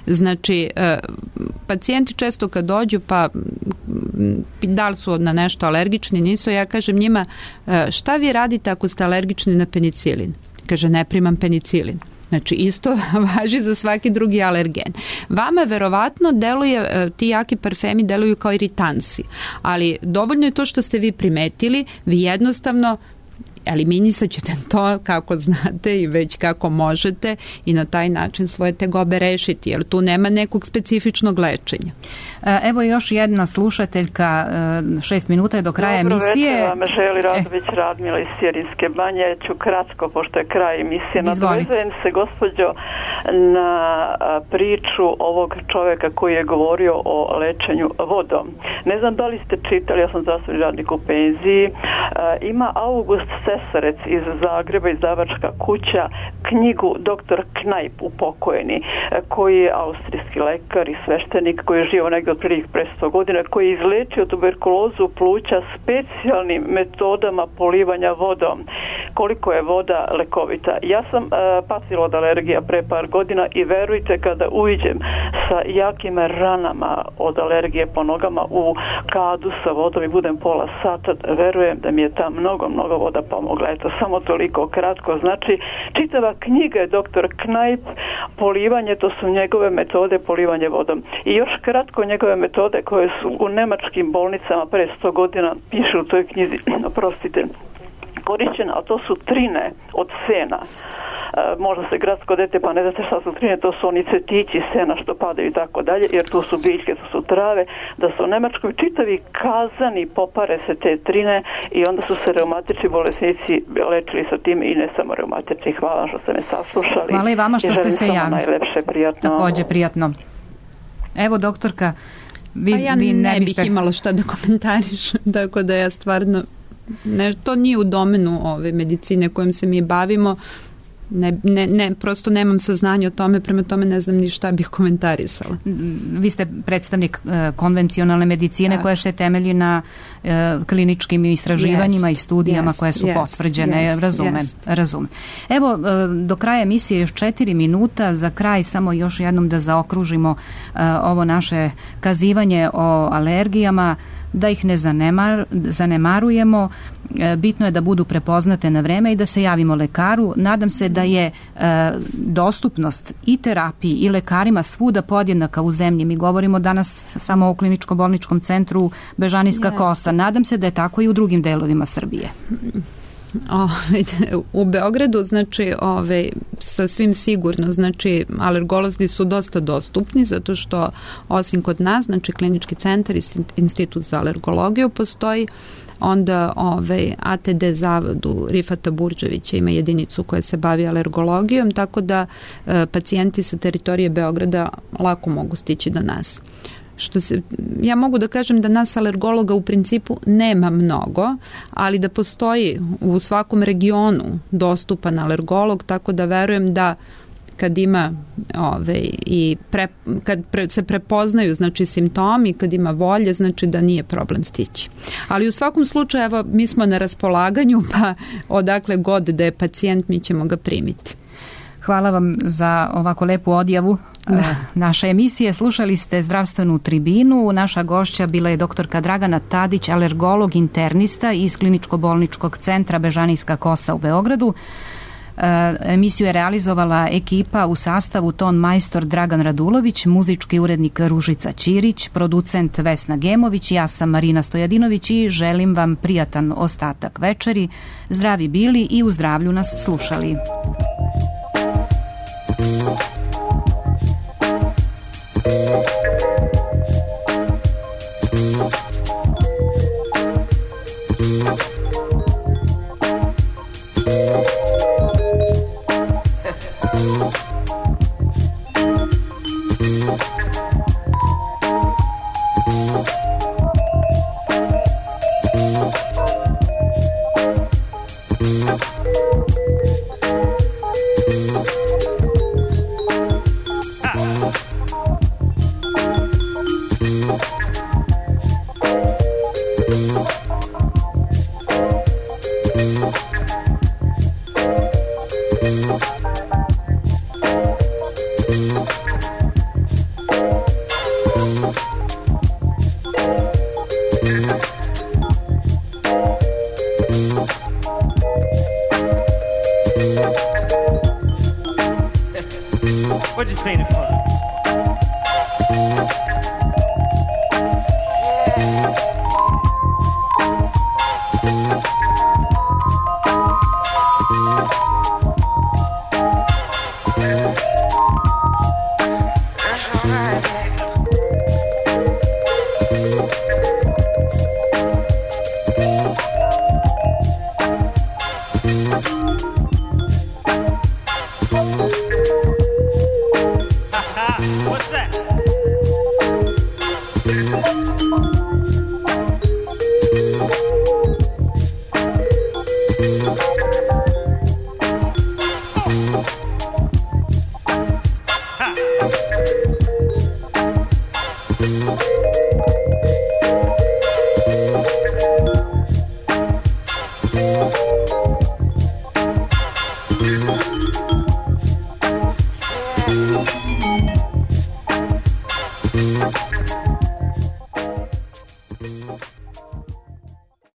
Znači, pacijenti često kad dođu pa da li su na nešto alergični, nisu, ja kažem njima šta vi radite ako ste alergični na penicilin? Kaže, ne primam penicilin. Znači, isto važi za svaki drugi alergen. Vama verovatno deluje, ti jaki parfemi deluju kao iritansi, ali dovoljno je to što ste vi primetili, vi jednostavno eliminisat ćete to kako znate i već kako možete i na taj način svoje tegobe rešiti, jer tu nema nekog specifičnog lečenja. Evo još jedna slušateljka, 6 minuta je do kraja emisije. Dobro večer, vam želi Radović Radmila iz Sjerijske banje. Ću kratko, pošto je kraj emisije. Nadovezujem se, gospođo, na priču ovog čoveka koji je govorio o lečenju vodom. Ne znam da li ste čitali, ja sam zdravstveni radnik u penziji, ima August Sesarec iz Zagreba, izdavačka kuća, knjigu Dr. Knajp, upokojeni, koji je austrijski lekar i sveštenik koji je živio negdje otprilike pre 100 godina, koji je izlečio tuberkulozu pluća specijalnim metodama polivanja vodom. Koliko je voda lekovita. Ja sam patila od alergija pre par godina i verujte, kada uđem sa jakim ranama od alergije po nogama u kadu sa vodom i budem pola sata, verujem da mi je ta mnogo voda pomogla. Eto, samo toliko kratko. Znači, čitava knjiga je Dr. Knajp, polivanje, to su njegove metode polivanje vodom. I još kratko njegove metode koje su u nemačkim bolnicama pre 100 godina piše u toj knjizi, oprostite, korišćena, a to su trine od sena. Možda se gradsko dete pa ne znate šta su trine, to su oni cvetići sena što padaju i tako dalje, jer tu su biljke, tu su trave, da su u Nemačkoj čitavi kazani popare se te trine i onda su se reumatični bolesnici lečili sa tim i ne samo reumatični. Hvala vam što ste me saslušali. Hvala i vama što ste se javili. Najlepše, prijatno. Također prijatno. Evo, doktorka, vi ne bih imala šta da komentariš, tako da ja stvarno To nije u domenu ove medicine kojom se mi bavimo. Prosto nemam saznanja o tome, prema tome ne znam ni šta bih komentarisala. Vi ste predstavnik konvencionalne medicine koja se temelji na kliničkim istraživanjima i studijama koje su potvrđene. Razumem. Evo, do kraja emisije još 4 minuta. Za kraj samo još jednom da zaokružimo ovo naše kazivanje o alergijama, da ih ne zanemarujemo. Bitno je da budu prepoznate na vreme i da se javimo lekaru. Nadam se da je dostupnost i terapiji i lekarima svuda podjednaka u zemlji. Mi govorimo danas samo o kliničko-bolničkom centru Bežanijska Kosa. Nadam se da je tako i u drugim delovima Srbije. U Beogradu, znači, sasvim sigurno, znači, alergolozi su dosta dostupni, zato što osim kod nas, znači, klinički centar i institut za alergologiju postoji, onda ATD zavodu Rifata Burđevića ima jedinicu koja se bavi alergologijom, tako da pacijenti sa teritorije Beograda lako mogu stići do nas. Ja mogu da kažem da nas alergologa u principu nema mnogo, ali da postoji u svakom regionu dostupan alergolog, tako da verujem da kad ima kad se prepoznaju, znači, simptomi, kad ima volje, znači da nije problem stići. Ali u svakom slučaju, evo, mi smo na raspolaganju, pa odakle god da je pacijent, mi ćemo ga primiti. Hvala vam za ovako lepu odjavu naše emisije. Slušali ste Zdravstvenu tribinu. Naša gošća bila je doktorka Dragana Tadić, alergolog internista iz kliničko-bolničkog centra Bežanijska Kosa u Beogradu. Emisiju je realizovala ekipa u sastavu ton majstor Dragan Radulović, muzički urednik Ružica Ćirić, producent Vesna Gemović, ja sam Marina Stojadinović i želim vam prijatan ostatak večeri. Zdravi bili i u zdravlju nas slušali. What'd you paint it for? What's that? Ha.